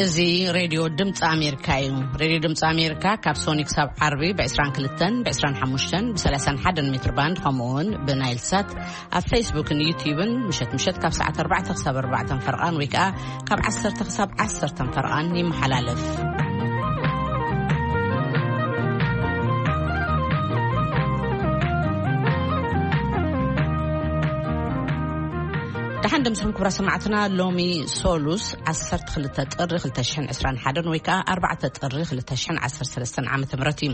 እዚ ሬድዮ ድምፂ ኣሜሪካ እዩ። ሬድዮ ድምፂ ኣሜሪካ ካብ ሶኒ ክሳብ ዓርቢ ብ22፣ ብ25፣ ብ31 ሜትር ባንድ፣ ከምኡ እውን ብናይል ሳት ኣብ ፌስቡክን ዩትዩብን ምሸት ምሸት ካብ ሰዓት ኣርባዕተ ክሳብ ኣርባዕተ ፈርቓን ወይ ከዓ ካብ ዓሰርተ ክሳብ ዓሰርተ ፈርቓን ይመሓላለፍ። ደሓን ደምስኹም ክቡራ ሰማዕትና። ሎሚ ሶሉስ ዓሰርተ ክልተ ጥሪ ክልተ ሽሕን ዕስራን ሓደን ወይ ከዓ ኣርባዕተ ጥሪ ክልተ ሽሕን ዓሰርተ ሰለስተን ዓመተ ምህረት እዩ።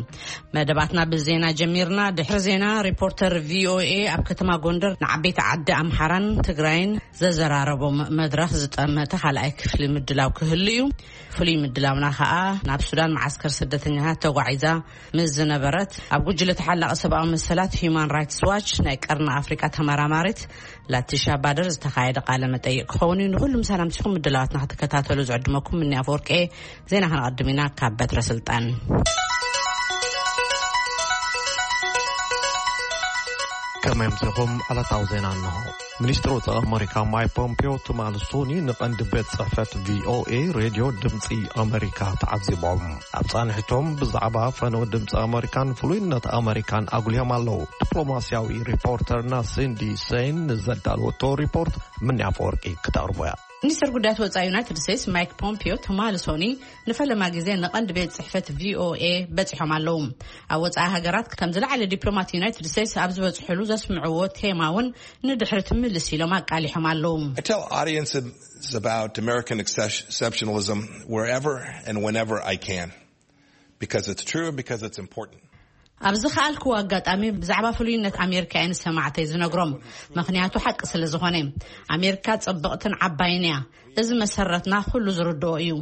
መደባትና ብዜና ጀሚርና። ድሕሪ ዜና ሪፖርተር ቪኦኤ ኣብ ከተማ ጎንደር ንዓበይቲ ዓዲ ኣምሓራን ትግራይን ዘዘራረቦም መድረኽ ዝጠመተ ካልኣይ ክፍሊ ምድላው ክህሉ እዩ። ፍሉይ ምድላውና ከዓ ናብ ሱዳን መዓስከር ስደተኛታት ተጓዒዛ ምስ ዝነበረት ኣብ ጉጅለ ተሓላቒ ሰብኣዊ መሰላት ሂዩማን ራይትስ ዋች ናይ ቀርኒ ኣፍሪቃ ተመራማሪት ላቲሻ ባደር ዝተኻየደ ቃለ መጠይቅ ክኸውን እዩ። ንኹሉም ሰላም ሲኹም ምድላዋትና ክትከታተሉ ዝዕድመኩም ምኒ ኣፈወርቂ። ዜና ከነቐድም ኢና ካብ በትረ ስልጣን። ከመይ ኣምሲኹም? ዕለታዊ ዜና እንሆ። ሚኒስትር ወጻኢ ኣመሪካ ማይክ ፖምፒዮ ትማሊ ሶኒ ንቐንዲ ቤት ጽሕፈት ቪኦኤ ሬድዮ ድምጺ ኣመሪካ ተዓዚቦም። ኣብ ጻንሒቶም ብዛዕባ ፈነወ ድምጺ ኣመሪካን ፍሉይነት ኣመሪካን ኣጉልዮም ኣለዉ። ዲፕሎማስያዊ ሪፖርተርና ሲንዲ ሴን ንዘዳለወቶ ሪፖርት ምኒ ኣፈወርቂ ክተቕርቦ እያ። ሚኒስትር ጉዳያት ወጻኢ ዩናይትድ ስቴትስ ማይክ ፖምፒዮ ትማሊ ሶኒ ንፈለማ ግዜ ንቐንዲ ቤት ጽሕፈት ቪኦኤ በጺሖም ኣለዉ። ኣብ ወጻኢ ሃገራት ከም ዝለዓለ ዲፕሎማት ዩናይትድ ስቴትስ ኣብ ዝበጽሕሉ ዘስምዕዎ ቴማ እውን ንድሕሪ ትምልስ ኢሎም ኣቃሊሖም ኣለዉ። I tell audiences about American exceptionalism wherever and whenever I can, because it's true and because it's important. ኣብ ዝኸኣልክዎ ኣጋጣሚ ብዛዕባ ፍሉይነት ኣሜሪካ እየ ንሰማዕተይ ዝነግሮም፣ ምኽንያቱ ሓቂ ስለ ዝኾነ። ኣሜሪካ ጽብቕትን ዓባይን እያ። እዚ መሰረትና ኩሉ ዝርድኦ እዩ።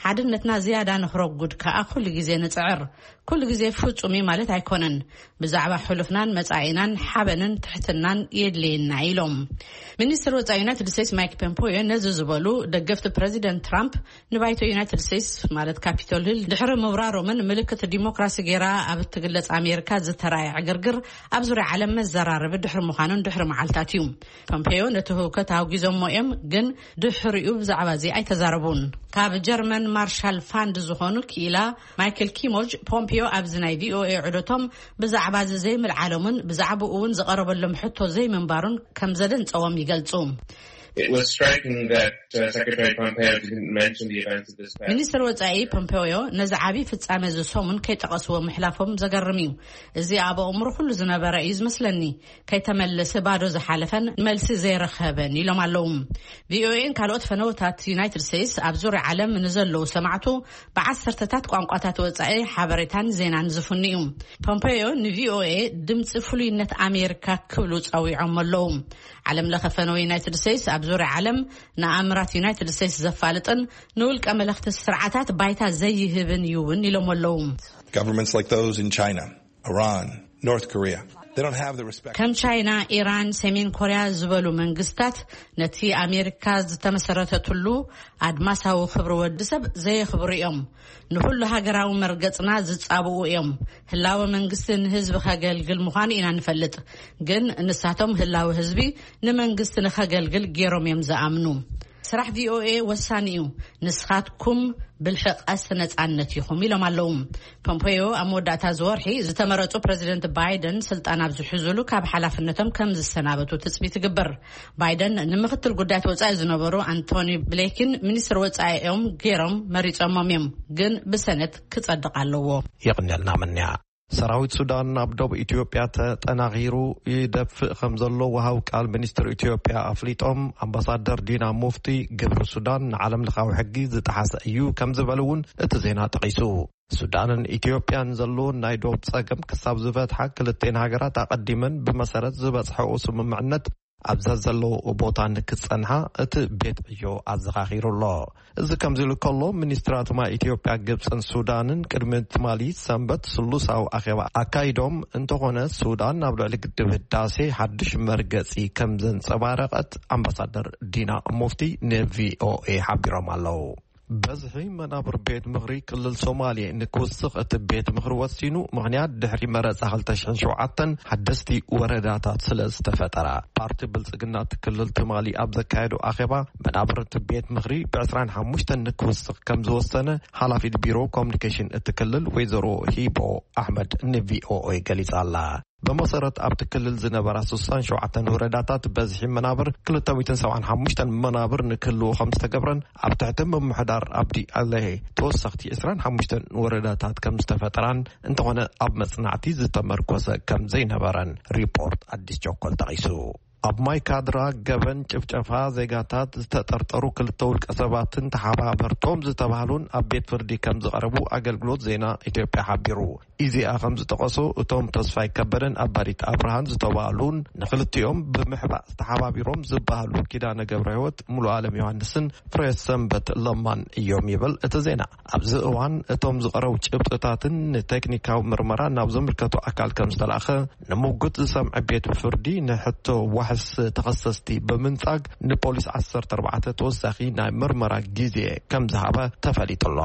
ሓድነትና ዝያዳ ንኽረጉድ ከኣ ኩሉ ግዜ ንጽዕር። ኩሉ ግዜ ፍጹም እዩ ማለት ኣይኮነን። ብዛዕባ ሕሉፍናን መጻኢናን ሓበንን ትሕትናን የድልየና ኢሎም። ሚኒስትር ወጻኢ ዩናይትድ ስቴትስ ማይክ ፖምፖዮ ነዚ ዝበሉ ደገፍቲ ፕሬዚደንት ትራምፕ ንባይቶ ዩናይትድ ስቴትስ ማለት ካፒቶል ሂል ድሕሪ ምብራሮምን ምልክት ዲሞክራሲ ገይራ ኣብ እትግለጽ ኣሜሪካ ዝተራእየ ዕግርግር ኣብ ዙርያ ዓለም መዘራረቢ ድሕሪ ምዃኑን ድሕሪ መዓልታት እዩ። ፖምፔዮ ነቲ ህውከት ኣውጊዞሞ እዮም፣ ግን ድሕሪኡ ብዛዕባ እዚ ኣይተዛረቡን። ካብ ጀርመን ማርሻል ፋንድ ዝኾኑ ክኢላ ማይክል ኪሞጅ ፖምፔዮ ኣብዚ ናይ ቪኦኤ ዑደቶም ብዛዕባ እዚ ዘይምልዓሎምን ብዛዕባኡ እውን ዝቐረበሎም ሕቶ ዘይምንባሩን ከም ዘደንጸዎም ይገልጹ። It was striking that, uh, Secretary Pompeo didn't mention the events of this past ሚኒስትር ወጻኢ ፖምፔዮ ነዚ ዓቢ ፍጻሜ እዚ ሰሙን ከይጠቐስዎ ምሕላፎም ዘገርም እዩ። እዚ ኣብ ኣእምሮ ኩሉ ዝነበረ እዩ ዝመስለኒ። ከይተመለሰ ባዶ ዝሓለፈን መልሲ ዘይረኸበን ኢሎም ኣለዉ። ቪኦኤን ካልኦት ፈነወታት ዩናይትድ ስቴትስ ኣብ ዙርያ ዓለም ንዘለዉ ሰማዕቱ ብዓሰርተታት ቋንቋታት ወጻኢ ሓበሬታን ዜናን ዝፍኑ እዩ። ፖምፔዮ ንቪኦኤ ድምፂ ፍሉይነት ኣሜሪካ ክብሉ ጸዊዖም ኣለዉ። ዓለም ለኸ ፈነወ ዩናይትድ ስቴትስ ኣብ ዙርያ ዓለም ንኣምራት ዩናይትድ ስቴትስ ዘፋልጥን ንውልቀ መለኽቲ ስርዓታት ባይታ ዘይህብን እዩ እውን ኢሎም ኣለዉ። Governments like those in China, Iran, North Korea, they don't have the respect. ከም ቻይና፣ ኢራን፣ ሰሜን ኮርያ ዝበሉ መንግስታት ነቲ ኣሜሪካ ዝተመሰረተትሉ ኣድማሳዊ ክብሪ ወዲ ሰብ ዘየኽብሩ እዮም። ንኹሉ ሃገራዊ መርገጽና ዝጻብኡ እዮም። ህላወ መንግስቲ ንህዝቢ ከገልግል ምዃኑ ኢና ንፈልጥ። ግን ንሳቶም ህላወ ህዝቢ ንመንግስቲ ንኸገልግል ገይሮም እዮም ዝኣምኑ። ስራሕ ቪኦኤ ወሳኒ እዩ። ንስኻትኩም ብልሒ ቀስ ነጻነት ኢኹም ኢሎም ኣለዉ። ፖምፔዮ ኣብ መወዳእታ እዚ ወርሒ ዝተመረጹ ፕረዚደንት ባይደን ስልጣን ኣብ ዝሕዙሉ ካብ ሓላፍነቶም ከም ዝሰናበቱ ትጽቢት ይግበር። ባይደን ንምክትል ጉዳያት ወጻኢ ዝነበሩ ኣንቶኒ ብሌኪን ሚኒስትር ወጻኢኦም ገይሮም መሪጾሞም እዮም፣ ግን ብሰነት ክጸድቕ ኣለዎ። የቕንየልና ምንያ። ሰራዊት ሱዳን ኣብ ደቡብ ኢትዮጵያ ተጠናኺሩ ይደፍእ ከም ዘሎ ወሃብ ቃል ሚኒስትር ኢትዮጵያ ኣፍሊጦም። ኣምባሳደር ዲና ሙፍቲ ግብሪ ሱዳን ንዓለም ለኻዊ ሕጊ ዝጠሓሰ እዩ ከም ዝበሉ እውን እቲ ዜና ጠቒሱ። ሱዳንን ኢትዮጵያን ዘለውን ናይ ዶብ ጸገም ክሳብ ዝፈትሓ ክልቴን ሃገራት ኣቐዲመን ብመሰረት ዝበጽሐኦ ስምምዕነት ኣብዛ ዘለውኦ ቦታ ንክጸንሓ እቲ ቤት ዕዮ ኣዘኻኺሩ ኣሎ። እዚ ከምዚ ኢሉ ከሎ፣ ሚኒስትራት ማይ ኢትዮጵያ፣ ግብጽን ሱዳንን ቅድሚ ትማሊ ሰንበት ስሉሳዊ ኣኼባ ኣካይዶም እንተኾነ፣ ሱዳን ናብ ልዕሊ ግድብ ህዳሴ ሓድሽ መርገጺ ከም ዘንጸባረቐት ኣምባሳደር ዲና ሙፍቲ ንቪኦኤ ሓቢሮም ኣለዉ። በዝሒ መናብር ቤት ምኽሪ ክልል ሶማሌ ንክውስኽ እቲ ቤት ምኽሪ ወሲኑ፣ ምኽንያት ድሕሪ መረፃ ክልተ ሽሕን ሸውዓተን ሓደስቲ ወረዳታት ስለ ዝተፈጠራ። ፓርቲ ብልጽግና እቲ ክልል ትማሊ ኣብ ዘካየዶ ኣኼባ፣ መናብር እቲ ቤት ምኽሪ ብ ዕስራን ሓሙሽተን ንክውስኽ ከም ዝወሰነ ሓላፊት ቢሮ ኮሚኒኬሽን እቲ ክልል ወይዘሮ ሂቦ ኣሕመድ ንቪኦኤ ገሊጻ ኣላ። ብመሰረት ኣብቲ ክልል ዝነበራ ስሳን ሸውዓተን ወረዳታት በዝሒ መናብር ክልተ ሚእትን ሰብዓን ሓሙሽተን መናብር ንክህልዎ ከም ዝተገብረን፣ ኣብ ትሕቲ ምምሕዳር ኣብዲ ኣለሄ ተወሰኽቲ ዕስራን ሓሙሽተን ወረዳታት ከም ዝተፈጠራን፣ እንተኾነ ኣብ መጽናዕቲ ዝተመርኮሰ ከም ዘይነበረን ሪፖርት ኣዲስ ቸኮል ጠቒሱ። ኣብ ማይ ካድራ ገበን ጭፍጨፋ ዜጋታት ዝተጠርጠሩ ክልተ ውልቀ ሰባትን ተሓባበርቶም ዝተባህሉን ኣብ ቤት ፍርዲ ከም ዝቐረቡ ኣገልግሎት ዜና ኢትዮጵያ ሓቢሩ። ኢዜኣ ከም ዝጠቐሶ፣ እቶም ተስፋይ ከበደን ኣባዲት ኣብርሃን ዝተባህሉን ንክልቲኦም ብምሕባእ ዝተሓባቢሮም ዝበሃሉ ኪዳነ ገብረ ህይወት፣ ሙሉ ኣለም ዮሃንስን ፍሬ ሰንበት ለማን እዮም ይብል እቲ ዜና። ኣብዚ እዋን እቶም ዝቐረቡ ጭብጥታትን ንቴክኒካዊ ምርመራ ናብ ዝምልከቶ ኣካል ከም ዝተላእኸ ንምጉት ዝሰምዐ ቤት ፍርዲ፣ ንሕቶ ዋሕስ ተኸሰስቲ ብምንጻግ ንፖሊስ ዓሰርተ ኣርባዕተ ተወሳኺ ናይ ምርመራ ግዜ ከም ዝሃበ ተፈሊጡ ኣሎ።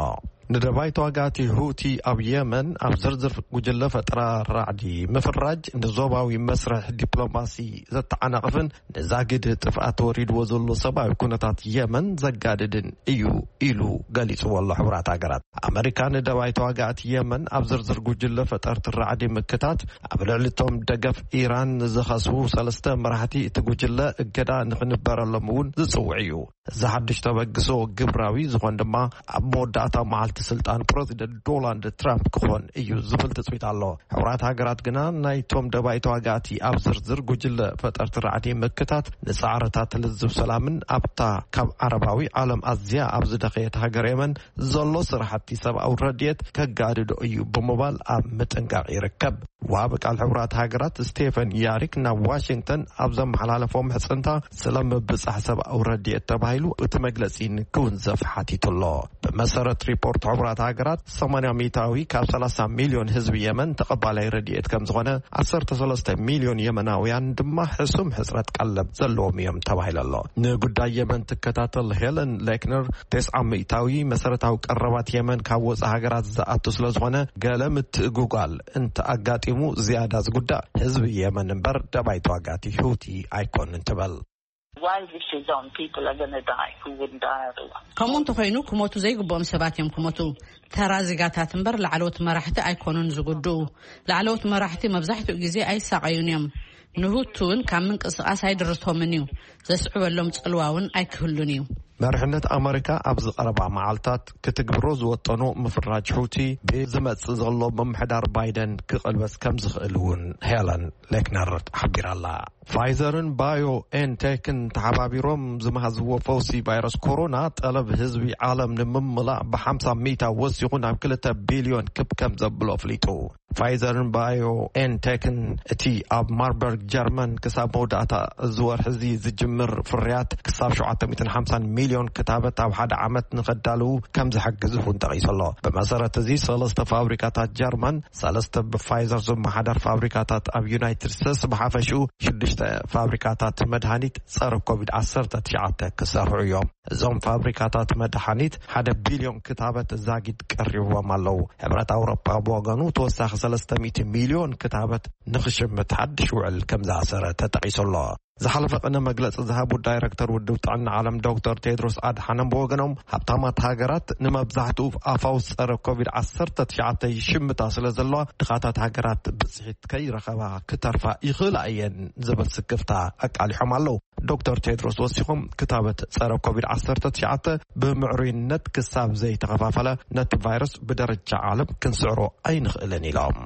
ንደባይ ተዋጋእቲ ሁቲ ኣብ የመን ኣብ ዝርዝር ጉጅለ ፈጠራ ራዕዲ ምፍራጅ ንዞባዊ መስርሕ ዲፕሎማሲ ዘተዓናቕፍን ንዛጊድ ጥፍኣት ተወሪድዎ ዘሎ ሰብኣዊ ኩነታት የመን ዘጋድድን እዩ ኢሉ ገሊጽዎ ኣሎ። ሕቡራት ሃገራት ኣመሪካ ንደባይ ተዋጋእቲ የመን ኣብ ዝርዝር ጉጅለ ፈጠርቲ ራዕዲ ምክታት ኣብ ልዕሊ እቶም ደገፍ ኢራን ዝኸስቡ ሰለስተ መራሕቲ እቲ ጉጅለ እገዳ ንኽንበረሎም እውን ዝጽውዕ እዩ። እዚ ሓድሽ ተበግሶ ግብራዊ ዝኾን ድማ ኣብ መወዳእታ መዓልቲ ስልጣን ፕረዚደንት ዶናልድ ትራምፕ ክኾን እዩ ዝብል ትጽቢት ኣሎ። ሕቡራት ሃገራት ግና ናይቶም ደባይ ተዋጋእቲ ኣብ ዝርዝር ጉጅለ ፈጠርቲ ራዕዲ ምክታት ንጻዕርታት ልዝብ ሰላምን ኣብታ ካብ ዓረባዊ ዓለም ኣዝያ ኣብ ዝደኸየት ሃገር የመን ዘሎ ስራሕቲ ሰብኣዊ ረድኤት ከጋድዶ እዩ ብምባል ኣብ ምጥንቃቕ ይርከብ። ወሃቢ ቃል ሕቡራት ሃገራት ስቴፈን ያሪክ ናብ ዋሽንግተን ኣብ ዘመሓላለፎ ምሕጽንታ፣ ስለ ምብጻሕ ሰብኣዊ ረድኤት ተባሂሉ እቲ መግለጺ ንክውንዘፍ ሓቲቱ ኣሎ። ብመሰረት ሪፖርት ሕቡራት ሃገራት፣ ሰማንያ ሚእታዊ ካብ ሰላሳ ሚልዮን ህዝቢ የመን ተቐባላይ ረድኤት ከም ዝኾነ፣ ዓሰርተ ሰለስተ ሚልዮን የመናውያን ድማ ሕሱም ሕጽረት ቀለብ ዘለዎም እዮም ተባሂሉ ኣሎ። ንጉዳይ የመን ትከታተል ሄለን ሌክነር፣ ተስዓ ሚእታዊ መሰረታዊ ቀረባት የመን ካብ ወጻኢ ሃገራት ዝኣቱ ስለ ዝኾነ፣ ገለ ምትእጉጓል እንተ ኣጋጢሙ ዝያዳ ዝጉዳእ ህዝቢ የመን እምበር ደባይ ተዋጋእቲ ሁቲ ኣይኮንን ትበል። While this is on, people are going to die who wouldn't die otherwise. ከምኡ እንተኾይኑ፣ ክሞቱ ዘይግብኦም ሰባት እዮም ክሞቱ። ተራ ዜጋታት እምበር ላዕለዎት መራሕቲ ኣይኮኑን ዝጉድኡ። ላዕለዎት መራሕቲ መብዛሕትኡ ግዜ ኣይሳቐዩን እዮም። ንሁቲ እውን ካብ ምንቅስቓስ ኣይድርቶምን እዩ። ዘስዕበሎም ጽልዋ እውን ኣይክህሉን እዩ። መሪሕነት ኣመሪካ ኣብዚ ቀረባ መዓልታት ክትግብሮ ዝወጠኖ ምፍራጅ ሑቲ ብዝመጽእ ዘሎ ምምሕዳር ባይደን ክቕልበስ ከም ዝኽእል እውን ሄለን ሌክነር ሓቢራ'ላ። ፋይዘርን ባዮ ኤንቴክን ተሓባቢሮም ዝመሃዝዎ ፈውሲ ቫይረስ ኮሮና፣ ጠለብ ህዝቢ ዓለም ንምምላእ ብሓምሳ ሚእታ ወሲኹ ናብ ክልተ ቢልዮን ክብ ከም ዘብሎ ኣፍሊጡ። ፋይዘርን ባዮ ኤንቴክን እቲ ኣብ ማርበርግ ጀርመን ክሳብ መወዳእታ እዚ ወርሒ እዚ ዝጅምር ፍርያት ክሳብ ሸውዓተ ሚእትን ሓምሳን ሚልዮን ክታበት ኣብ ሓደ ዓመት ንኸዳልዉ ከም ዝሕግዝ እውን ጠቒሱ ኣሎ። ብመሰረት እዚ፣ ሰለስተ ፋብሪካታት ጀርመን፣ ሰለስተ ብፋይዘር ዝመሓደር ፋብሪካታት ኣብ ዩናይትድ ስቴትስ፣ ብሓፈሽኡ ሽዱሽተ ፋብሪካታት መድሃኒት ጸረ ኮቪድ ዓሰርተ ትሽዓተ ክሰርሑ እዮም። እዞም ፋብሪካታት መድሃኒት ሓደ ቢልዮን ክታበት ዛጊድ ቀሪብዎም ኣለዉ። ሕብረት ኣውሮፓ ብወገኑ፣ ተወሳኺ ሰለስተ ሚእቲ ሚልዮን ክታበት ንኽሽምት ሓድሽ ውዕል ከም ዝኣሰረ ተጠቒሱ ኣሎ። ዝሓለፈ ቅነ መግለጺ ዝሃቡ ዳይረክተር ውድብ ጥዕና ዓለም ዶክተር ቴድሮስ ኣድሓኖም ብወገኖም፣ ሃብታማት ሃገራት ንመብዛሕትኡ ኣፋውስ ጸረ ኮቪድ ዓሰርተ ትሽዓተ ይሽምታ ስለ ዘለዋ፣ ድኻታት ሃገራት ብጽሒት ከይረኸባ ክተርፋ ይኽእላ እየን ዝብል ስክፍታ ኣቃሊሖም ኣለዉ። ዶክተር ቴድሮስ ወሲኾም፣ ክታበት ጸረ ኮቪድ ዓሰርተ ትሽዓተ ብምዕሩይነት ክሳብ ዘይተኸፋፈለ፣ ነቲ ቫይረስ ብደረጃ ዓለም ክንስዕሮ ኣይንኽእልን ኢሎም።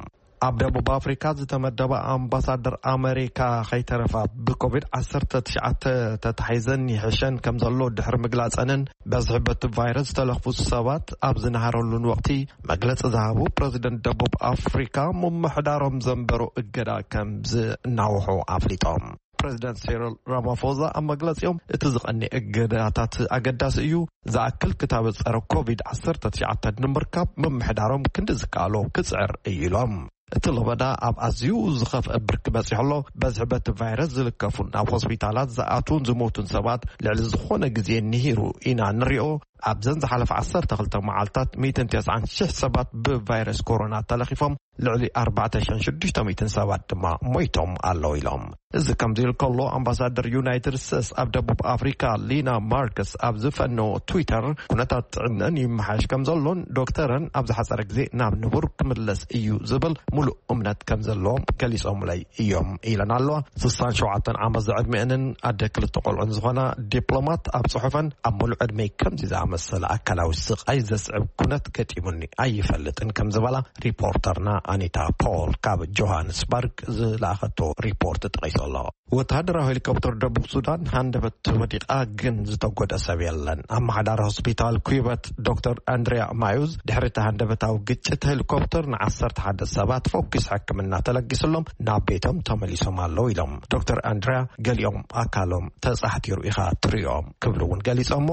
ኣብ ደቡብ ኣፍሪካ ዝተመደባ ኣምባሳደር ኣመሪካ ከይተረፋ ብኮቪድ ዓሰርተ ትሽዓተ ተታሒዘን ይሕሸን ከም ዘሎ ድሕሪ ምግላጸንን፣ በዝሒ በቲ ቫይረስ ዝተለኽፉ ሰባት ኣብ ዝነሃረሉን ወቕቲ፣ መግለጺ ዝሃቡ ፕረዚደንት ደቡብ ኣፍሪካ፣ ምምሕዳሮም ዘንበሮ እገዳ ከም ዝናውሑ ኣፍሊጦም። ፕረዚደንት ሲሪል ራማፎዛ ኣብ መግለጺኦም፣ እቲ ዝቐንየ እገዳታት ኣገዳሲ እዩ፣ ዝኣክል ክታበት ጸረ ኮቪድ ዓሰርተ ትሽዓተ ንምርካብ ምምሕዳሮም ክንዲ ዝከኣሎ ክጽዕር እዩ ኢሎም። እቲ ለበዳ ኣብ ኣዝዩ ዝኸፍአ ብርኪ በጺሑ ኣሎ። በዝሒ በቲ ቫይረስ ዝልከፉን ናብ ሆስፒታላት ዝኣትዉን ዝሞቱን ሰባት ልዕሊ ዝኾነ ግዜ ንሂሩ ኢና ንሪኦ። ኣብዘን ዝሓለፈ ዓሰርተ ክልተ መዓልታት ሚእትን ተስዓን ሽሕ ሰባት ብቫይረስ ኮሮና ተለኺፎም፣ ልዕሊ ኣርባዕተ ሽሕን ሽዱሽተ ሚእትን ሰባት ድማ ሞይቶም ኣለዉ ኢሎም። እዚ ከምዚ ኢሉ ከሎ፣ ኣምባሳደር ዩናይትድ ስቴትስ ኣብ ደቡብ ኣፍሪካ ሊና ማርክስ ኣብ ዝፈነዎ ትዊተር፣ ኩነታት ጥዕነን ይመሓየሽ ከም ዘሎን ዶክተረን ኣብ ዝሓጸረ ግዜ ናብ ንቡር ክምለስ እዩ ዝብል ሙሉእ እምነት ከም ዘለዎም ገሊጾምለይ እዮም ኢለን ኣለዋ። ስሳን ሸውዓተን ዓመት ዝዕድሚአንን ኣደ ክልተ ቆልዑን ዝኾና ዲፕሎማት ኣብ ጽሑፈን፣ ኣብ ሙሉእ ዕድመይ ከምዚ ዝኣመሰለ ኣካላዊ ስቓይ ዘስዕብ ኩነት ገጢሙኒ ኣይፈልጥን ከም ዝበላ ሪፖርተርና ኣኒታ ፖል ካብ ጆሃንስበርግ ዝለኣኸቶ ሪፖርት ጠቒሱ ኣሎ። ወተሃደራዊ ሄሊኮፕተር ደቡብ ሱዳን ሃንደበት ወዲቓ፣ ግን ዝተጎደ ሰብ የለን። ኣመሓዳሪ ሆስፒታል ኩበት ዶክተር ኣንድሪያ ማዩዝ፣ ድሕሪ እቲ ሃንደበታዊ ግጭት ሄሊኮፕተር ንዓሰርተ ሓደ ሰባት ፈኲስ ሕክምና ተለጊስሎም ናብ ቤቶም ተመሊሶም ኣለዉ ኢሎም። ዶክተር ኣንድሪያ፣ ገሊኦም ኣካሎም ተጻሕቲሩ ኢኻ ትሪኦም ክብሉ እውን ገሊጾሞ።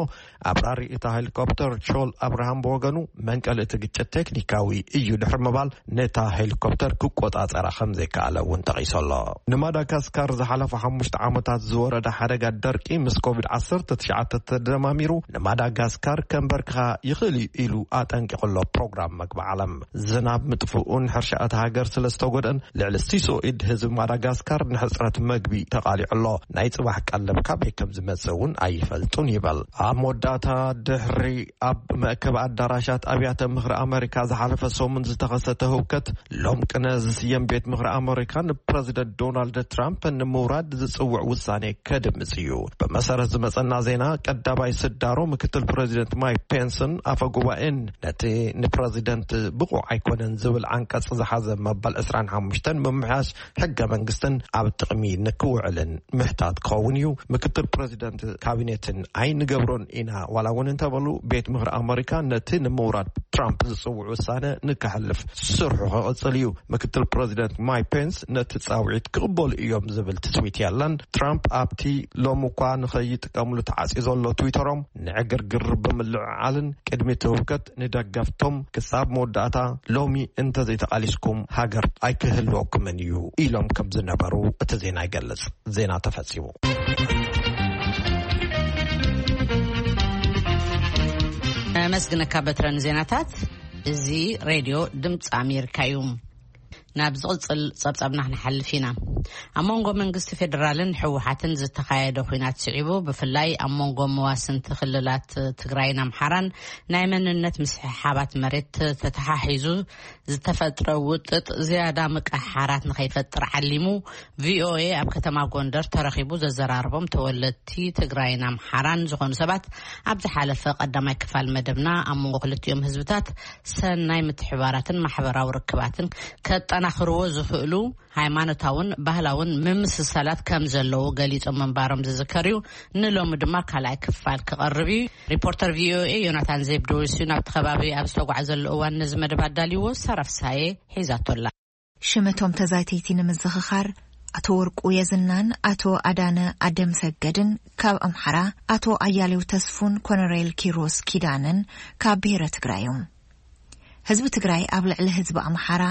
ኣብራሪ እታ ሄሊኮፕተር ቾል ኣብርሃም ብወገኑ፣ መንቀሊ እቲ ግጭት ቴክኒካዊ እዩ ድሕሪ ምባል፣ ነታ ሄሊኮፕተር ክቆጻጸራ ከም ዘይከኣለ እውን ጠቒሱ ኣሎ። ንማዳጋስካር ዝሓለፉ ሓሙሽተ ዓመታት ዝወረደ ሓደጋ ደርቂ ምስ ኮቪድ ዓሰርተ ትሽዓተ ተደማሚሩ፣ ንማዳጋስካር ከንበርክኻ ይኽእል እዩ ኢሉ ኣጠንቂቑ ኣሎ ፕሮግራም መግቢ ዓለም። ዝናብ ምጥፍኡን ሕርሻ እታ ሃገር ስለ ዝተጎድአን፣ ልዕሊ ሲሶ ኢድ ህዝቢ ማዳጋስካር ንሕጽረት መግቢ ተቓሊዑ ኣሎ። ናይ ጽባሕ ቀለብ ካበይ ከም ዝመጽእ እውን ኣይፈልጡን ይበል። ኣብ መወዳእታ፣ ድሕሪ ኣብ መእከቢ ኣዳራሻት ኣብያተ ምኽሪ ኣመሪካ ዝሓለፈ ሰሙን ዝተኸሰተ ህውከት፣ ሎም ቅነ ዝስየም ቤት ምኽሪ ኣመሪካ ንፕረዚደንት ዶናልድ ትራምፕ ንምውራድ ዝጽውዕ ውሳኔ ከድምጽ እዩ። ብመሰረት ዝመጸና ዜና፣ ቀዳማይ ስዳሮ ምክትል ፕረዚደንት ማይክ ፔንስን ኣፈ ጉባኤን ነቲ ንፕረዚደንት ብቑዕ ኣይኮነን ዝብል ዓንቀጽ ዝሓዘ መበል ዕስራን ሓሙሽተን ምምሕያሽ ሕገ መንግስትን ኣብ ጥቕሚ ንክውዕልን ምሕታት ክኸውን እዩ። ምክትል ፕረዚደንት ካቢኔትን ኣይንገብሮን ኢና ዋላ እውን እንተበሉ፣ ቤት ምኽሪ ኣመሪካ ነቲ ንምውራድ ትራምፕ ዝጽውዕ ውሳነ ንከሕልፍ ስርሑ ክቕጽል እዩ። ምክትል ፕረዚደንት ማይክ ፔንስ ነቲ ጻውዒት ክቕበሉ እዮም ዝብል ትጽቢት የለን። ትራምፕ ኣብቲ ሎሚ እኳ ንኸይጥቀምሉ ተዓጽዩ ዘሎ ትዊተሮም፣ ንዕግርግር ብምልዕዓልን ቅድሚ እቲ ህውከት ንደገፍቶም ክሳብ መወዳእታ ሎሚ እንተዘይተቓሊስኩም ሃገር ኣይክህልወኩምን እዩ ኢሎም ከም ዝነበሩ እቲ ዜና ይገልጽ። ዜና ተፈጺሙ። ኣመስግነካ በትረ ንዜናታት። እዚ ሬድዮ ድምፂ ኣሜሪካ እዩ። ናብ ዝቕጽል ጸብጻብና ክንሓልፍ ኢና። ኣብ መንጎ መንግስቲ ፌደራልን ህወሓትን ዝተኻየደ ኲናት ስዒቡ፣ ብፍላይ ኣብ መንጎ መዋስንቲ ክልላት ትግራይን ኣምሓራን ናይ መንነት ምስሕሓባት መሬት ተተሓሒዙ ዝተፈጥረ ውጥጥ ዝያዳ ምቅሕሓራት ንኸይፈጥር ዓሊሙ፣ ቪኦኤ ኣብ ከተማ ጎንደር ተረኺቡ ዘዘራረቦም ተወለድቲ ትግራይን ኣምሓራን ዝኾኑ ሰባት፣ ኣብ ዝሓለፈ ቀዳማይ ክፋል መደብና ኣብ መንጎ ክልቲኦም ህዝብታት ሰናይ ምትሕባራትን ማሕበራዊ ርክባትን ከጠናኽርዎ ዝኽእሉ ሃይማኖታውን ባህላውን ምምስሳላት ከም ዘለዉ ገሊጾም ምንባሮም ዝዝከር እዩ። ንሎሚ ድማ ካልኣይ ክፋል ክቐርብ እዩ። ሪፖርተር ቪኦኤ ዮናታን ዜብዶዊስ እዩ ናብቲ ከባቢ ኣብ ዝተጓዓዘሉ እዋን ነዚ መደብ ኣዳልይዎ። ሰረፍሳዬ ሒዛቶላ። ሽመቶም ተዛተይቲ ንምዝኽኻር፣ ኣቶ ወርቁ የዝናን ኣቶ ኣዳነ ኣደም ሰገድን ካብ ኣምሓራ፣ ኣቶ ኣያሌው ተስፉን ኮነሬል ኪሮስ ኪዳነን ካብ ብሔረ ትግራይ እዮም። ህዝቢ ትግራይ ኣብ ልዕሊ ህዝቢ ኣምሓራ፣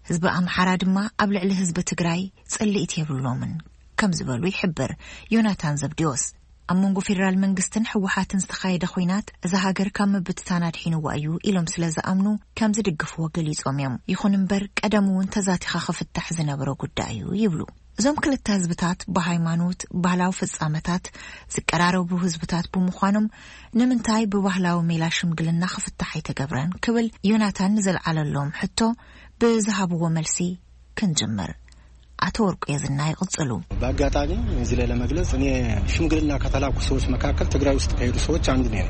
ህዝቢ ኣምሓራ ድማ ኣብ ልዕሊ ህዝቢ ትግራይ ጽልኢት የብሎምን ከም ዝበሉ ይሕብር ዮናታን ዘብዲዎስ። ኣብ መንጎ ፌደራል መንግስትን ህወሓትን ዝተኻየደ ኲናት እዛ ሃገር ካብ ምብትታን ኣድሒንዋ እዩ ኢሎም ስለ ዝኣምኑ ከም ዝድግፍዎ ገሊጾም እዮም። ይኹን እምበር ቀደም እውን ተዛቲኻ ክፍታሕ ዝነበረ ጉዳይ እዩ ይብሉ። እዞም ክልተ ህዝብታት ብሃይማኖት፣ ባህላዊ ፍጻመታት ዝቀራረቡ ህዝብታት ብምዃኖም ንምንታይ ብባህላዊ ሜላ ሽምግልና ክፍታሕ ኣይተገብረን ክብል ዮናታን ንዘልዓለሎም ሕቶ ብዝሃብዎ መልሲ ክንጅምር። ኣቶ ወርቁ የዝና ይቕጽሉ። በአጋጣሚ እዚህ ላይ ለመግለጽ፣ እኔ ሽምግልና ከተላኩ ሰዎች መካከል ትግራይ ውስጥ ከሄዱ ሰዎች አንዱ ነኝ።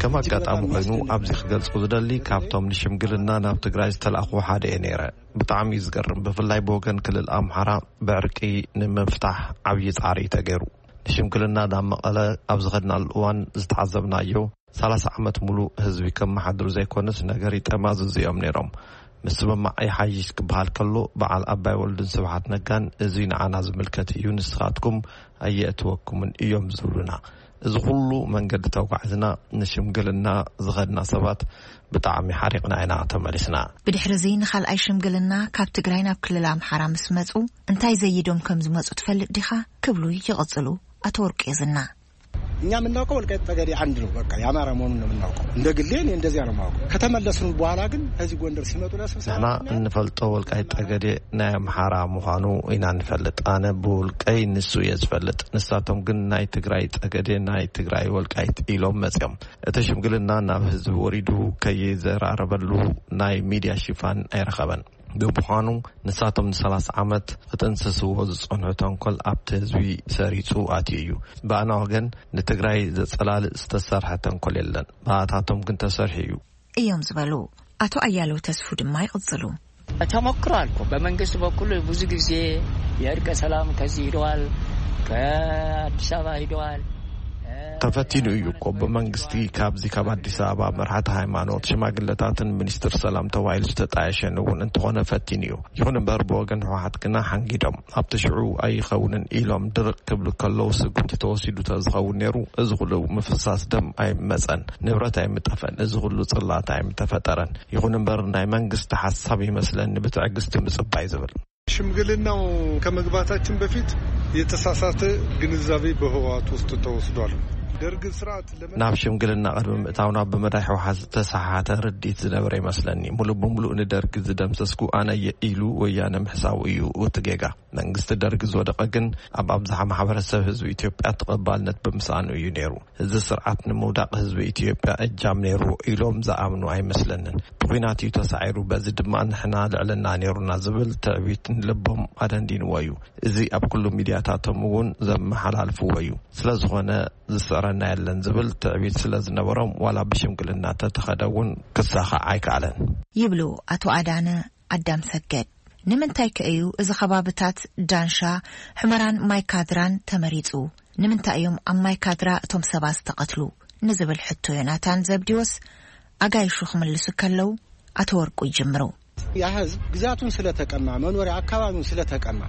ከም ኣጋጣሚ ኮይኑ ኣብዚ ክገልጾ ዝደሊ፣ ካብቶም ንሽምግልና ናብ ትግራይ ዝተላእኹ ሓደ እየ ነይረ። ብጣዕሚ እዩ ዝገርም። ብፍላይ ብወገን ክልል ኣምሓራ ብዕርቂ ንምፍታሕ ዓብዪ ጻዕሪ እዩ ተገይሩ። ንሽምግልና ናብ መቐለ ኣብ ዝኸድናሉ እዋን ዝተዓዘብናዮ፣ ሰላሳ ዓመት ሙሉእ ህዝቢ ከመሓድሩ ዘይኮነስ ነገር ይጠማዝዙ እዮም ነይሮም። ምስምማዕ ይሓይሽ ክበሃል ከሎ፣ በዓል ኣባይ ወልዱን ስብሓት ነጋን፣ "እዚ ንዓና ዝምልከት እዩ፣ ንስኻትኩም ኣየእትወኩምን" እዮም ዝብሉና። እዚ ኩሉ መንገዲ ተጓዕዝና፣ ንሽምግልና ዝኸድና ሰባት ብጣዕሚ ሓሪቕና ኢና ተመሊስና። ብድሕሪ እዚ ንኻልኣይ ሽምግልና ካብ ትግራይ ናብ ክልል ኣምሓራ ምስ መጹ፣ እንታይ ዘይዶም ከም ዝመጹ ትፈልጥ ዲኻ? ክብሉ ይቕጽሉ ኣቶ ወርቁ የዝና። እኛ የምናውቀው ወልቃይት ጠገዴ አንድ ነው። በቃ የአማራ መሆኑን ነው የምናውቀው። እንደ ግሌ እኔ እንደዚያ ነው የማውቀው። ከተመለስን በኋላ ግን ከዚህ ጎንደር ሲመጡ ለስብሰባ ንሕና እንፈልጦ ወልቃይት ጠገዴ ናይ ኣምሓራ ምዃኑ ኢና ንፈልጥ። ኣነ ብውልቀይ ንሱ እየ ዝፈልጥ። ንሳቶም ግን ናይ ትግራይ ጠገዴ፣ ናይ ትግራይ ወልቃይት ኢሎም መፅዮም። እቲ ሽምግልና ናብ ህዝቢ ወሪዱ ከይዘራረበሉ ናይ ሚድያ ሽፋን ኣይረኸበን። ብምዃኑ ንሳቶም ንሰላሳ ዓመት ክጥንስስዎ ዝጸንሑ ተንኮል ኣብቲ ህዝቢ ሰሪጹ ኣትዩ እዩ። ብኣና ወገን ንትግራይ ዘጸላልእ ዝተሰርሐ ተንኮል የለን። ብኣታቶም ግን ተሰርሑ እዩ። እዮም ዝበሉ ኣቶ ኣያለው ተስፉ ድማ ይቕጽሉ። ተሞክሯል እኮ። በመንግስት በኩል ብዙ ጊዜ የእርቀ ሰላም ከዚህ ሂደዋል፣ ከአዲስ አበባ ሂደዋል። ተፈቲኑ እዩ እኮ ብመንግስቲ። ካብዚ ካብ ኣዲስ ኣበባ መርሓቲ ሃይማኖት፣ ሽማግለታትን ሚኒስትር ሰላም ተባሂሉ ዝተጣየሸን እውን እንተኾነ ፈቲኑ እዩ። ይኹን እምበር ብወገን ህወሓት ግና ሓንጊዶም ኣብቲ ሽዑ ኣይኸውንን ኢሎም ድርቕ ክብሉ ከለዉ ስጉምቲ ተወሲዱ ተዝኸውን ነይሩ እዚ ኩሉ ምፍሳስ ደም ኣይመፀን፣ ንብረት ኣይምጠፈን፣ እዚ ኩሉ ፅላት ኣይምተፈጠረን። ይኹን እምበር ናይ መንግስቲ ሓሳብ ይመስለኒ ብትዕግስቲ ምፅባይ ዝብል። ሽምግልናው ከመግባታችን በፊት የተሳሳተ ግንዛቤ በህወሓት ውስጥ ተወስዷል። ደርግ ስርዓት ለመ ናብ ሽምግልና ቅድሚ ምእታውና ብመዳይ ህወሓት ዝተሰሓተ ርድኢት ዝነበረ ይመስለኒ። ሙሉእ ብሙሉእ ንደርግ ዝደምሰስኩ ኣነ እየ ኢሉ ወያነ ምሕሳቡ እዩ እቲ ጌጋ። መንግስቲ ደርግ ዝወደቐ ግን ኣብ ኣብዝሓ ማሕበረሰብ ህዝቢ ኢትዮጵያ ተቐባልነት ብምስኣኑ እዩ ነይሩ። እዚ ስርዓት ንምውዳቕ ህዝቢ ኢትዮጵያ እጃም ነይሩ ኢሎም ዝኣምኑ ኣይመስለንን። ብኹናት እዩ ተሳዒሩ፣ በዚ ድማ ንሕና ልዕልና ነይሩና ዝብል ትዕቢት ንልቦም ኣደንዲንዎ እዩ። እዚ ኣብ ኩሉ ሚድያታቶም እውን ዘመሓላልፍዎ እዩ። ስለዝኾነ ዝስዕረና የለን ዝብል ትዕቢት ስለዝነበሮም ዋላ ብሽምግልና ተተኸደ እውን ክሳኻዕ ኣይከኣለን። ይብሉ ኣቶ ኣዳነ ኣዳም ሰገድ። ንምንታይ ከ እዩ እዚ ከባብታት ዳንሻ፣ ሑመራን ማይካድራን ተመሪጹ? ንምንታይ እዮም ኣብ ማይካድራ እቶም ሰባት ዝተቐትሉ? ንዝብል ሕቶ ዮናታን ዘብዲዎስ ኣጋይሹ ክምልሱ ከለዉ ኣቶ ወርቁ ይጅምሩ። ያ ህዝብ ግዛቱን ስለተቀማ፣ መኖሪያ አካባቢውን ስለተቀማ፣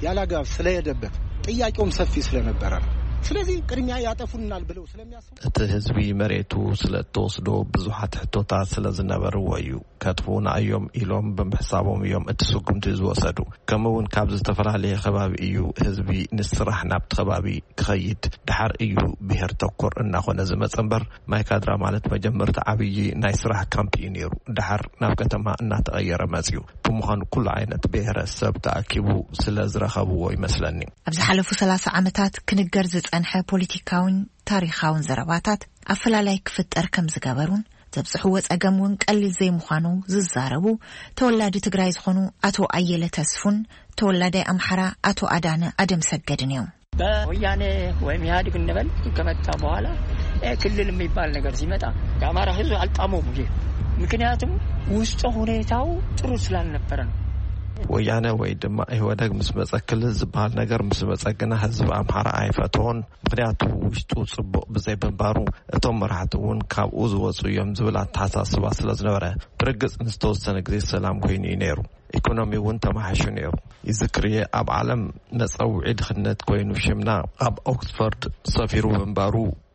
ያላግባብ ስለሄደበት ጥያቄውም ሰፊ ስለነበረ ነው። ስለዚህ ቅድሚያ ያጠፉናል ብለው ስለሚያስቡ እቲ ህዝቢ መሬቱ ስለእተወስዶ ብዙሓት ሕቶታት ስለዝነበርዎ እዩ። ከጥፉኡና እዮም ኢሎም ብምሕሳቦም እዮም እቲ ስጉምቲ ዝወሰዱ። ከምኡ እውን ካብ ዝተፈላለየ ከባቢ እዩ ህዝቢ ንስራሕ ናብቲ ከባቢ ክኸይድ። ደሓር እዩ ብሄር ተኮር እናኾነ ዝመጸ እምበር ማይ ካድራ ማለት መጀመርታ ዓብዪ ናይ ስራሕ ካምፕ እዩ ነይሩ። ደሓር ናብ ከተማ እናተቐየረ መጽዩ። ብምዃኑ ኩሉ ዓይነት ብሄረሰብ ተኣኪቡ ስለ ዝረኸብዎ ይመስለኒ። ኣብ ዝሓለፉ ሰላሳ ዓመታት ክንገር ዝጸንሐ ፖለቲካውን ታሪኻውን ዘረባታት ኣፈላላይ ክፍጠር ከም ዝገበሩን ዘብጽሕዎ ጸገም እውን ቀሊል ዘይምዃኑ ዝዛረቡ ተወላዲ ትግራይ ዝኾኑ ኣቶ ኣየለ ተስፉን ተወላዳይ ኣምሓራ ኣቶ ኣዳነ ኣደም ሰገድን እዮም። በወያኔ ወይም ኢህአዴግ እንበል ከመጣ በኋላ፣ እ፣ ክልል የሚባል ነገር ሲመጣ የአማራ ህዝብ አልጣመውም ይሄ። ምክንያቱም ውስጠ ሁኔታው ጥሩ ስላልነበረ ነው። ወያነ ወይ ድማ ኢህወደግ ምስ መጸ ክልል ዝበሃል ነገር ምስ መጸ ግና ህዝቢ ኣምሓራ ኣይፈትዎን። ምክንያቱ ውሽጡ ጽቡቕ ብዘይ ምንባሩ እቶም መራሕቲ እውን ካብኡ ዝወጹ እዮም ዝብል ኣተሓሳስባ ስለ ዝነበረ ብርግጽ ንዝተወሰነ ግዜ ሰላም ኮይኑ እዩ ነይሩ። ኢኮኖሚ እውን ተማሓሹ ነይሩ። ይዝክር እየ ኣብ ዓለም መጸውዒ ድኽነት ኮይኑ ሽምና ኣብ ኦክስፎርድ ሰፊሩ ምንባሩ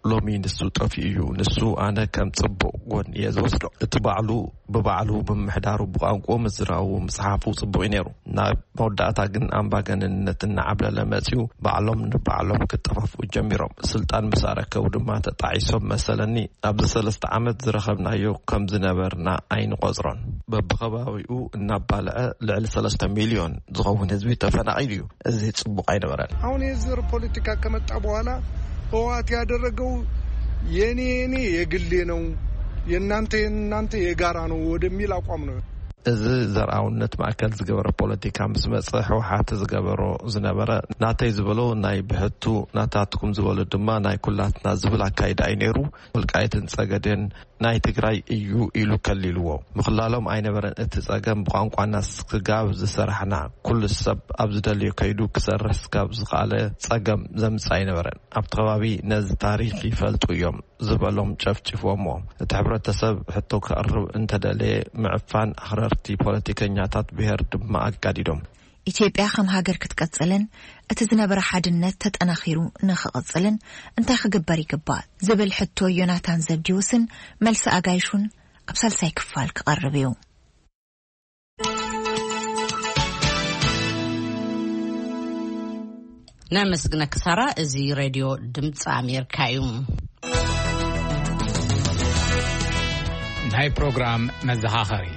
ሎሚ ንሱ ጠፊኡ እዩ። ንሱ ኣነ ከም ጽቡቕ ጎኒ እየ ዝወስዶ። እቲ ባዕሉ ብባዕሉ ምምሕዳሩ ብቋንቋኡ ምዝራቡ ምጽሓፉ ጽቡቕ እዩ ነይሩ። ናብ መወዳእታ ግን ኣምባገነንነት እናዓብለለ መጺኡ ባዕሎም ንባዕሎም ክጠፋፍኡ ጀሚሮም። ስልጣን ምስ ኣረከቡ ድማ ተጣዒሶም መሰለኒ። ኣብዚ ሰለስተ ዓመት ዝረኸብናዮ ከም ዝነበርና ኣይንቆጽሮን። በብኸባቢኡ እናባልዐ ልዕሊ ሰለስተ ሚልዮን ዝኸውን ህዝቢ ተፈናቒሉ እዩ። እዚ ጽቡቕ ኣይነበረን። አሁን የዘር ፖለቲካ ከመጣ በኋላ ህወሓት ያደረገው የኔ የኔ የግሌ ነው፣ የእናንተ የእናንተ የጋራ ነው ወደሚል አቋም ነው። እዚ ዘርኣውነት ማእከል ዝገበረ ፖለቲካ ምስ መጸ ህወሓት ዝገበሮ ዝነበረ ናተይ ዝበሎ ናይ ብሕቱ ናታትኩም ዝበሎ ድማ ናይ ኩላትና ዝብል ኣካይዳ እዩ ነይሩ። ወልቃይትን ጸገዴን ናይ ትግራይ እዩ ኢሉ ከሊልዎ። ምኽላሎም ኣይነበረን። እቲ ጸገም ብቋንቋና ስጋብ ዝሰራሕና ኩሉ ሰብ ኣብ ዝደልዮ ከይዱ ክሰርሕ ስጋብ ዝኸኣለ ጸገም ዘምጽእ ኣይነበረን። ኣብቲ ከባቢ ነዚ ታሪኽ ይፈልጡ እዮም ዝበሎም ጨፍጭፎሞ። እቲ ሕብረተሰብ ሕቶ ከቕርብ እንተደለየ ምዕፋን ኣኽረርቲ ፖለቲከኛታት ብሄር ድማ ኣጋዲዶም። ኢትዮጵያ ከም ሃገር ክትቀጽልን እቲ ዝነበረ ሓድነት ተጠናኺሩ ንኽቕጽልን እንታይ ክግበር ይግባእ ዝብል ሕቶ ዮናታን ዘብዲዎስን መልሲ ኣጋይሹን ኣብ ሳልሳይ ክፋል ክቐርብ እዩ። ነመስግነኪ ሳራ። እዚ ሬድዮ ድምፂ ኣሜሪካ እዩ። ናይ ፕሮግራም መዘኻኸሪ።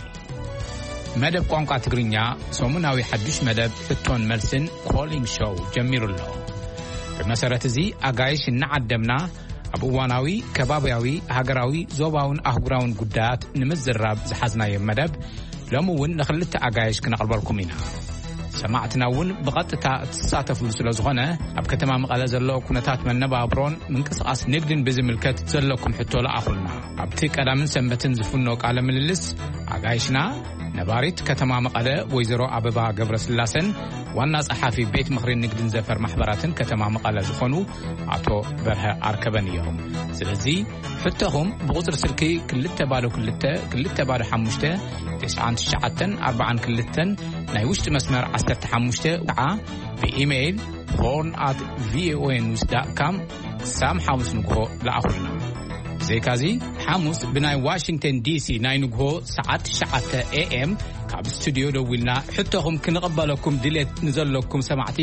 መደብ ቋንቋ ትግርኛ፣ ሰሙናዊ ሓዱሽ መደብ ሕቶን መልስን ኮሊንግ ሾው ጀሚሩ ኣሎ። ብመሰረት እዚ፣ ኣጋይሽ እናዓደምና ኣብ እዋናዊ፣ ከባብያዊ፣ ሃገራዊ፣ ዞባውን ኣህጉራውን ጉዳያት ንምዝራብ ዝሓዝናዮ መደብ፣ ሎሚ እውን ንኽልተ ኣጋይሽ ክነቕርበልኩም ኢና። ሰማዕትና እውን ብቐጥታ እትሳተፍሉ ስለ ዝኾነ፣ ኣብ ከተማ መቐለ ዘሎ ኩነታት መነባብሮን ምንቅስቓስ ንግድን ብዝምልከት ዘለኩም ሕቶ ለኣኹልና። ኣብቲ ቀዳምን ሰንበትን ዝፍኖ ቃለ ምልልስ፣ ኣጋይሽና ነባሪት ከተማ መቐለ ወይዘሮ ኣበባ ገብረስላሰን ዋና ጸሓፊ ቤት ምኽሪ ንግድን ዘፈር ማሕበራትን ከተማ መቐለ ዝኾኑ ኣቶ በርሀ ኣርከበን እዮም። ስለዚ ሕቶኹም ብቁጽሪ ስልኪ ክልተ ባዶ ክልተ ክልተ ባዶ ሓሙሽተ፣ ትሽዓን ትሽዓተን ኣርባዓን ክልተን፣ ናይ ውሽጢ መስመር ዓሰርተ ሓሙሽተ፣ ከዓ ብኢሜይል ሆርን ኣት ቪኦኤ ኒውስ ዳት ካም ክሳብ ሓሙስ ንግሆ ለኣኹልና። ብዘይካዚ፣ ሓሙስ ብናይ ዋሽንግተን ዲሲ ናይ ንግሆ ሰዓት ትሽዓተ ኤ ኤም ካብ ስቱድዮ ደዊልና ሕቶኹም ክንቕበለኩም ድሌት ንዘለኩም ሰማዕቲ፣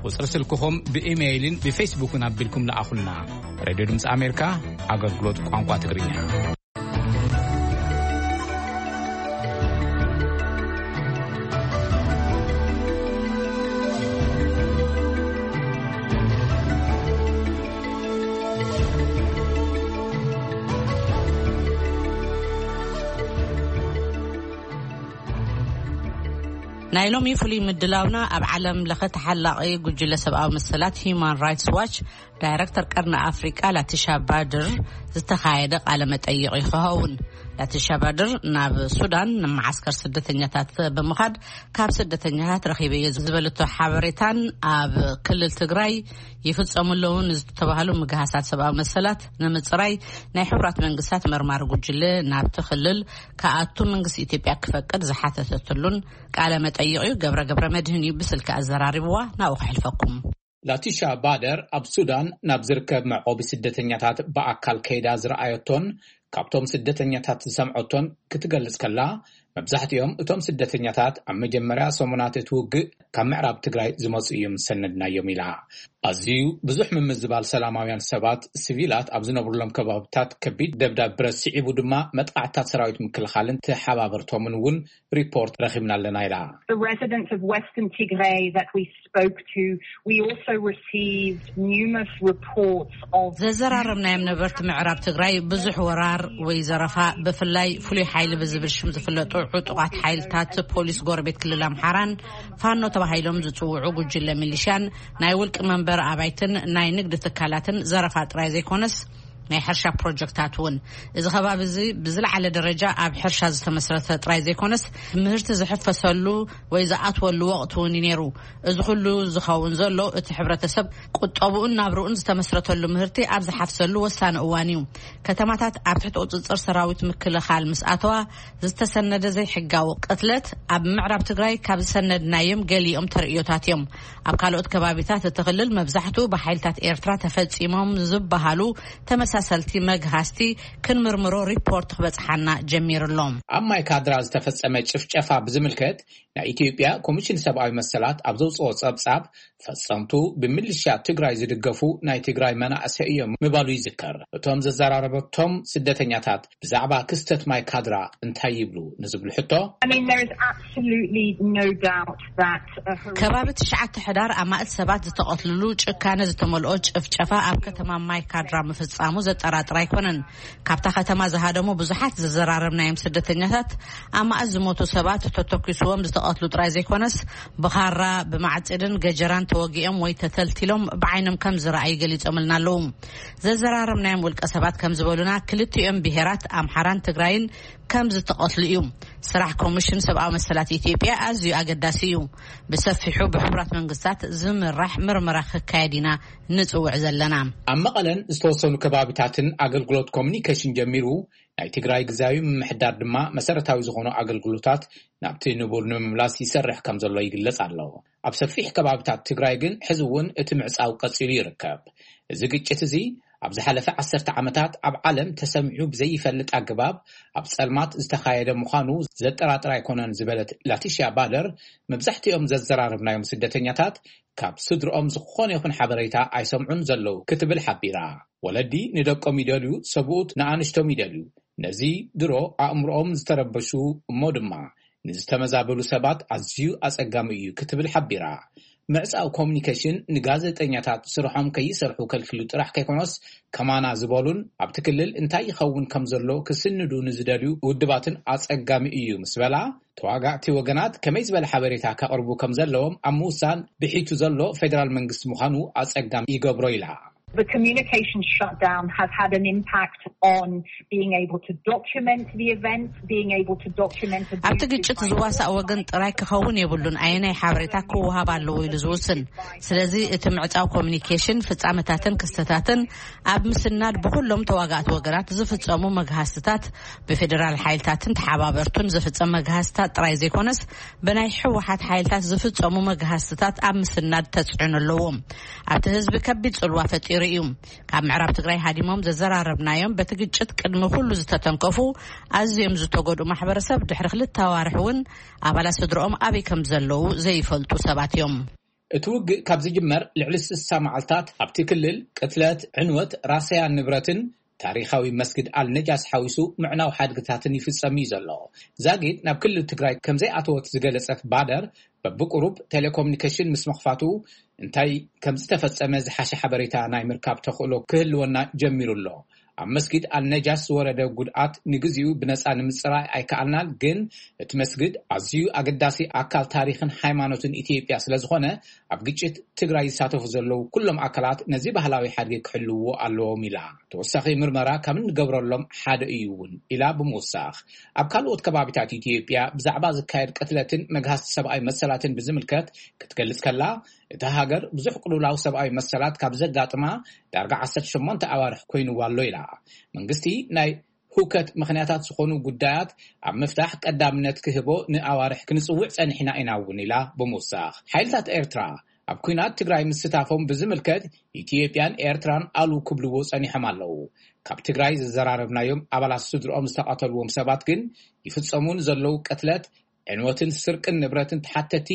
ቁጽሪ ስልክኹም ብኢሜይልን ብፌስቡክን ኣቢልኩም ለኣኹልና። ሬድዮ ድምፂ ኣሜሪካ፣ ኣገልግሎት ቋንቋ ትግርኛ። ናይ ሎሚ ፍሉይ ምድላውና ኣብ ዓለም ለኸ ተሓላቒ ጉጅለ ሰብኣዊ መሰላት ሂዩማን ራይትስ ዋች ዳይረክተር ቀርኒ ኣፍሪቃ ላቲሻ ባድር ዝተኻየደ ቃለ መጠይቕ እዩ ክኸውን። ላቲሻ ባድር ናብ ሱዳን ንመዓስከር ስደተኛታት ብምኻድ ካብ ስደተኛታት ረኺበዮ ዝበለቶ ሓበሬታን ኣብ ክልል ትግራይ ይፍጸሙ ኣለዉ ንዝተባህሉ ምግሃሳት ሰብኣዊ መሰላት ንምጽራይ ናይ ሕቡራት መንግስታት መርማሪ ጉጅለ ናብቲ ክልል ክኣቱ መንግስቲ ኢትዮጵያ ክፈቅድ ዝሓተተትሉን ቃለ መጠይቕ እዩ። ገብረ ገብረ መድህን እዩ ብስልኪ ኣዘራሪብዋ። ናብኡ ከሕልፈኩም። ላቲሻ ባደር ኣብ ሱዳን ናብ ዝርከብ መዕቆቢ ስደተኛታት ብኣካል ከይዳ ዝረኣየቶን ካብቶም ስደተኛታት ዝሰምዐቶን ክትገልጽ ከላ፣ መብዛሕትኦም እቶም ስደተኛታት ኣብ መጀመርያ ሰሙናት እቲ ውግእ ካብ ምዕራብ ትግራይ ዝመጹ እዮም ዝሰነድናዮም ኢላ። ኣዝዩ ብዙሕ ምምዝባል ሰላማውያን ሰባት፣ ሲቪላት ኣብ ዝነብሩሎም ከባብታት ከቢድ ደብዳብ ብረት ስዒቡ ድማ መጥቃዕትታት ሰራዊት ምክልኻልን ተሓባበርቶምን እውን ሪፖርት ረኺብና ኣለና ኢላ። The residents of Western Tigray that we spoke to, we also received numerous reports of ዘዘራረብናዮም ነበርቲ ምዕራብ ትግራይ ብዙሕ ወራር ወይ ዘረፋ፣ ብፍላይ ፍሉይ ሓይሊ ብዝብል ሽም ዝፍለጡ ዕጡቓት ሓይልታት ፖሊስ ጎረቤት ክልል ኣምሓራን ፋኖ ተባሂሎም ዝጽውዑ ጉጅለ ሚሊሻን ናይ ውልቂ መንበር ኣባይትን ናይ ንግዲ ትካላትን ዘረፋ ጥራይ ዘይኮነስ ናይ ሕርሻ ፕሮጀክታት እውን። እዚ ከባቢ እዚ ብዝለዓለ ደረጃ ኣብ ሕርሻ ዝተመስረተ ጥራይ ዘይኮነስ፣ ምህርቲ ዝሕፈሰሉ ወይ ዝኣትወሉ ወቕቲ እውን እዩ ነይሩ። እዚ ኩሉ ዝኸውን ዘሎ፣ እቲ ሕብረተሰብ ቁጠብኡን ናብርኡን ዝተመስረተሉ ምህርቲ ኣብ ዝሓፍሰሉ ወሳኒ እዋን እዩ። ከተማታት ኣብ ትሕቲ ቁጽጽር ሰራዊት ምክልኻል ምስ ኣተዋ፣ ዝተሰነደ ዘይሕጋዊ ቅትለት ኣብ ምዕራብ ትግራይ ካብ ዝሰነድናዮም ገሊኦም ተርእዮታት እዮም። ኣብ ካልኦት ከባቢታት እቲ ክልል መብዛሕትኡ ብሓይልታት ኤርትራ ተፈጺሞም ዝበሃሉ ተመሳሰልቲ መግሃስቲ ክንምርምሮ ሪፖርት ክበጽሓና ጀሚሩ ኣሎ። ኣብ ማይ ካድራ ዝተፈጸመ ጭፍጨፋ ብዝምልከት፣ ናይ ኢትዮጵያ ኮሚሽን ሰብኣዊ መሰላት ኣብ ዘውጽኦ ጸብጻብ፣ ፈጸምቱ ብምልሻ ትግራይ ዝድገፉ ናይ ትግራይ መናእሰይ እዮም ምባሉ ይዝከር። እቶም ዘዘራረበቶም ስደተኛታት ብዛዕባ ክስተት ማይ ካድራ እንታይ ይብሉ ንዝብሉ ሕቶ፣ I mean, there is absolutely no doubt that a ከባቢ ትሽዓተ ሕዳር ኣማእት ሰባት ዝተቐትልሉ ጭካነ ዝተመልኦ ጭፍጨፋ ኣብ ከተማ ማይ ካድራ ምፍጻሙ ዘጠራጥር ኣይኮነን። ካብታ ከተማ ዝሃደሙ ብዙሓት ዘዘራረብናዮም ስደተኛታት፣ ኣማእት ዝሞቱ ሰባት ተተኪስዎም ዝተቐትሉ ጥራይ ዘይኮነስ፣ ብኻራ፣ ብማዕጽድን ገጀራን ተወጊኦም ወይ ተተልቲሎም ብዓይኖም ከም ዝረኣዩ ገሊጾምልና ኣለዉ። ዘዘራረብናዮም ውልቀ ሰባት ከም ዝበሉና፣ ክልቲኦም ብሄራት ኣምሓራን ትግራይን ከም ዝተቐትሉ እዩ። ስራሕ ኮሚሽን ሰብኣዊ መሰላት ኢትዮጵያ ኣዝዩ ኣገዳሲ እዩ። ብሰፊሑ ብሕቡራት መንግስታት ዝምራሕ ምርመራ ክካየድ ኢና ንጽውዕ ዘለና። ኣብ መቐለን ዝተወሰኑ ከባቢታትን ኣገልግሎት ኮሚኒኬሽን ጀሚሩ፣ ናይ ትግራይ ግዝያዊ ምምሕዳር ድማ መሰረታዊ ዝኾኑ ኣገልግሎታት ናብቲ ንቡር ንምምላስ ይሰርሕ ከም ዘሎ ይግለጽ ኣሎ። ኣብ ሰፊሕ ከባቢታት ትግራይ ግን ሕዚ እውን እቲ ምዕጻው ቀጺሉ ይርከብ። እዚ ግጭት እዚ ኣብ ዝሓለፈ ዓሰርተ ዓመታት ኣብ ዓለም ተሰሚዑ ብዘይፈልጥ ኣገባብ ኣብ ጸልማት ዝተኻየደ ምዃኑ ዘጠራጥር ኣይኮነን ዝበለት ላቲሽያ ባደር፣ መብዛሕትኦም ዘዘራረብናዮም ስደተኛታት ካብ ስድርኦም ዝኾነ ይኹን ሓበሬታ ኣይሰምዑን ዘለዉ ክትብል ሓቢራ። ወለዲ ንደቆም ይደልዩ፣ ሰብኡት ንኣንሽቶም ይደልዩ። ነዚ ድሮ ኣእምሮኦም ዝተረበሹ እሞ ድማ ንዝተመዛበሉ ሰባት ኣዝዩ ኣጸጋሚ እዩ ክትብል ሓቢራ። ምዕጻው ኮሚኒኬሽን ንጋዜጠኛታት ስርሖም ከይሰርሑ ከልኪሉ ጥራሕ ከይኮነስ፣ ከማና ዝበሉን ኣብቲ ክልል እንታይ ይኸውን ከም ዘሎ ክስንዱ ንዝደልዩ ውድባትን ኣጸጋሚ እዩ ምስ በላ፣ ተዋጋእቲ ወገናት ከመይ ዝበለ ሓበሬታ ከቕርቡ ከም ዘለዎም ኣብ ምውሳን ብሒቱ ዘሎ ፌደራል መንግስቲ ምዃኑ ኣጸጋሚ ይገብሮ ኢላ። The communication shutdown has had an impact on being able to document the events, being able to document ኣብቲ ግጭት ዝዋሳእ ወገን ጥራይ ክኸውን የብሉን ኣየናይ ሓበሬታ ክወሃብ ኣለዎ ኢሉ ዝውስን። ስለዚ እቲ ምዕጻው ኮሚኒኬሽን ፍጻመታትን ክስተታትን ኣብ ምስናድ ብኩሎም ተዋጋእቲ ወገናት ዝፍጸሙ መግሃስትታት ብፌደራል ሓይልታትን ተሓባበርቱን ዝፍጸም መግሃስትታት ጥራይ ዘይኮነስ ብናይ ህወሓት ሓይልታት ዝፍጸሙ መግሃስትታት ኣብ ምስናድ ተጽዕኖ ኣለዎም። ኣብቲ ህዝቢ ከቢድ ጽልዋ ፈጢሩ እዩ። ካብ ምዕራብ ትግራይ ሃዲሞም ዘዘራረብናዮም በቲ ግጭት ቅድሚ ኩሉ ዝተተንከፉ ኣዝዮም ዝተጎድኡ ማሕበረሰብ ድሕሪ ክልተ ኣዋርሕ እውን ኣባላት ስድርኦም ኣበይ ከም ዘለዉ ዘይፈልጡ ሰባት እዮም። እቲ ውግእ ካብ ዝጅመር ልዕሊ ስሳ መዓልታት ኣብቲ ክልል ቅትለት፣ ዕንወት፣ ራሰያን ንብረትን ታሪኻዊ መስጊድ ኣልነጃስ ሓዊሱ ምዕናው ሓድግታትን ይፍጸም እዩ ዘሎ። ዛጊድ ናብ ክልል ትግራይ ከም ዘይኣተወት ዝገለጸት ባደር፣ በብቁሩብ ቴሌኮሙኒኬሽን ምስ ምኽፋቱ እንታይ ከም ዝተፈጸመ ዝሓሸ ሓበሬታ ናይ ምርካብ ተኽእሎ ክህልወና ጀሚሩ ኣሎ። ኣብ መስጊድ ኣልነጃስ ዝወረደ ጉድኣት ንግዚኡ ብነጻ ንምጽራይ ኣይከኣልናን፣ ግን እቲ መስጊድ ኣዝዩ ኣገዳሲ ኣካል ታሪኽን ሃይማኖትን ኢትዮጵያ ስለ ዝኾነ ኣብ ግጭት ትግራይ ዝሳተፉ ዘለዉ ኩሎም ኣካላት ነዚ ባህላዊ ሓድጊ ክሕልውዎ ኣለዎም ኢላ። ተወሳኺ ምርመራ ካብ እንገብረሎም ሓደ እዩ እውን ኢላ ብምውሳኽ፣ ኣብ ካልኦት ከባቢታት ኢትዮጵያ ብዛዕባ ዝካየድ ቅትለትን መግሃስቲ ሰብኣዊ መሰላትን ብዝምልከት ክትገልጽ ከላ፣ እታ ሃገር ብዙሕ ቅልውላው ሰብኣዊ መሰላት ካብ ዘጋጥማ ዳርጋ ዓሰርተ ሸሞንተ ኣዋርሕ ኮይንዋ ኣሎ ኢላ። መንግስቲ ናይ ህውከት ምኽንያታት ዝኾኑ ጉዳያት ኣብ ምፍታሕ ቀዳምነት ክህቦ ንኣዋርሕ ክንጽውዕ ጸኒሕና ኢና እውን ኢላ ብምውሳኽ፣ ሓይልታት ኤርትራ ኣብ ኲናት ትግራይ ምስታፎም ብዝምልከት ኢትዮጵያን ኤርትራን ኣሉ ክብልዎ ጸኒሖም ኣለዉ። ካብ ትግራይ ዘዘራረብናዮም ኣባላት ስድርኦም ዝተቐተልዎም ሰባት ግን ይፍጸሙ ንዘለዉ ቅትለት፣ ዕንወትን ስርቅን ንብረትን ተሓተቲ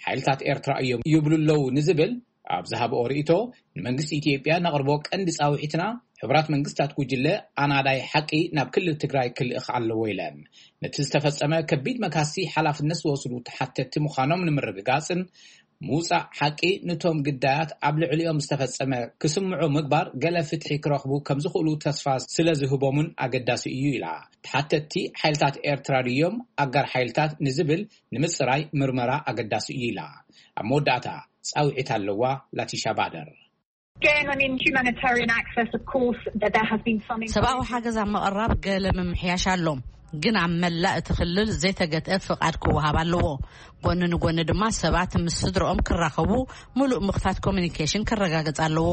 ሓይልታት ኤርትራ እዮም ይብሉ ኣለዉ ንዝብል ኣብ ዝሃብኦ ርእይቶ፣ ንመንግስቲ ኢትዮጵያ ነቕርቦ ቀንዲ ጻውዒትና ሕቡራት መንግስታት ጉጅለ ኣናዳይ ሓቂ ናብ ክልል ትግራይ ክልእኽ ኣለዎ ኢለን። ነቲ ዝተፈጸመ ከቢድ መግሃስቲ ሓላፍነት ዝወስዱ ተሓተቲ ምዃኖም ንምርግጋጽን ምውጻእ ሓቂ ንቶም ግዳያት ኣብ ልዕሊኦም ዝተፈጸመ ክስምዑ ምግባር ገለ ፍትሒ ክረኽቡ ከም ዝኽእሉ ተስፋ ስለ ዝህቦምን ኣገዳሲ እዩ ኢላ። ተሓተቲ ሓይልታት ኤርትራ ድዮም ኣጋር ሓይልታት ንዝብል ንምጽራይ ምርመራ ኣገዳሲ እዩ ኢላ። ኣብ መወዳእታ ጻውዒት ኣለዋ ላቲሻ ባደር። Again, I mean, humanitarian access, of course, that there has been some ሰብኣዊ ሓገዝ ኣብ ምቕራብ ገለ ምምሕያሽ ኣሎ፣ ግን ኣብ መላእ እቲ ክልል ዘይተገትአ ፍቓድ ክወሃብ ኣለዎ። ጎኒ ንጎኒ ድማ ሰባት ምስ ስድርኦም ክራኸቡ ምሉእ ምኽፋት ኮሚኒኬሽን ክረጋገጽ ኣለዎ።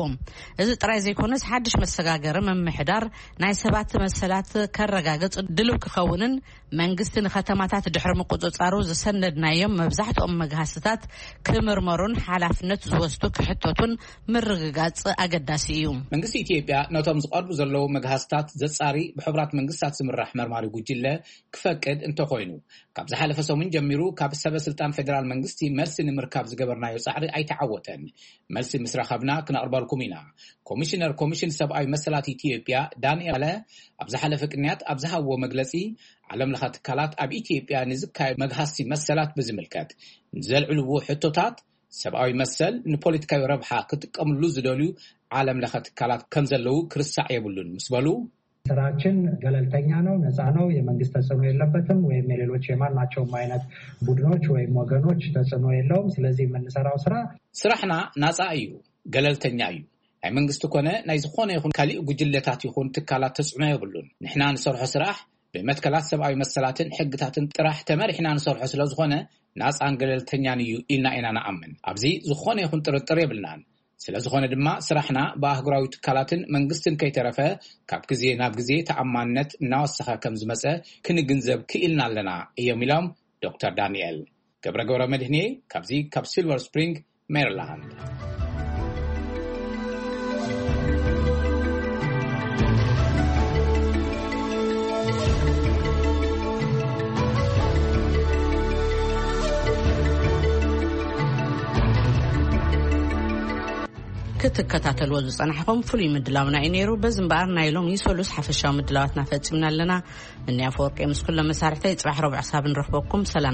እዚ ጥራይ ዘይኮነስ ሓድሽ መሰጋገሪ ምምሕዳር ናይ ሰባት መሰላት ከረጋግጽ ድልው ክኸውንን መንግስቲ ንከተማታት ድሕሪ ምቁጽጻሩ ዝሰነድናዮም መብዛሕትኦም መግሃስታት ክምርመሩን ሓላፍነት ዝወስዱ ክሕተቱን ምርግጋጽ ኣገዳሲ እዩ። መንግስቲ ኢትዮጵያ ነቶም ዝቐርቡ ዘለዉ መግሃስታት ዘጻሪ ብሕቡራት መንግስታት ዝምራሕ መርማሪ ጉጅለ ክፈቅድ እንተኾይኑ፣ ካብ ዝሓለፈ ሰሙን ጀሚሩ ካብ ሰበ ስልጣን ፌደራል መንግስቲ መልሲ ንምርካብ ዝገበርናዮ ጻዕሪ ኣይተዓወተን። መልሲ ምስ ረኸብና ክነቕርበልኩም ኢና። ኮሚሽነር ኮሚሽን ሰብኣዊ መሰላት ኢትዮጵያ ዳንኤል ኣብ ዝሓለፈ ቅንያት ኣብ ዝሃብዎ መግለጺ፣ ዓለም ለኸ ትካላት ኣብ ኢትዮጵያ ንዝካየድ መግሃስቲ መሰላት ብዝምልከት ንዘልዕልዎ ሕቶታት፣ ሰብኣዊ መሰል ንፖለቲካዊ ረብሓ ክጥቀምሉ ዝደልዩ ዓለም ለኸ ትካላት ከም ዘለዉ ክርሳዕ የብሉን ምስ በሉ፣ ስራችን ገለልተኛ ነው፣ ነፃ ነው፣ የመንግስት ተጽዕኖ የለበትም ወይም የሌሎች የማናቸውም አይነት ቡድኖች ወይም ወገኖች ተጽዕኖ የለውም። ስለዚህ የምንሰራው ስራ ስራሕና ናጻ እዩ፣ ገለልተኛ እዩ። ናይ መንግስቲ ኮነ ናይ ዝኾነ ይኹን ካሊእ ጉጅለታት ይኹን ትካላት ተጽዕኖ የብሉን። ንሕና ንሰርሖ ስራሕ ብመትከላት ሰብኣዊ መሰላትን ሕግታትን ጥራሕ ተመሪሕና ንሰርሖ ስለ ዝኾነ ናጻን ገለልተኛን እዩ ኢልና ኢና ንኣምን። ኣብዚ ዝኾነ ይኹን ጥርጥር የብልናን። ስለ ዝኾነ ድማ ስራሕና ብኣህጉራዊ ትካላትን መንግስትን ከይተረፈ ካብ ግዜ ናብ ግዜ ተኣማንነት እናወሰኸ ከም ዝመጸ ክንግንዘብ ክኢልና ኣለና እዮም ኢሎም ዶክተር ዳንኤል። ገብረ ገብረ መድህኔ ካብዚ ካብ ሲልቨር ስፕሪንግ ሜሪላንድ። ክትከታተልዎ ዝጸናሕኹም ፍሉይ ምድላውና እዩ ነይሩ። በዚ እምበኣር ናይ ሎሚ ሰሉስ ሓፈሻዊ ምድላዋትና ፈጺምና ኣለና። እኒ ኣፈወርቂ ምስ ኩሎም መሳርሕተይ ጽባሕ ረቡዕ ክሳብ ንረኽበኩም ሰላም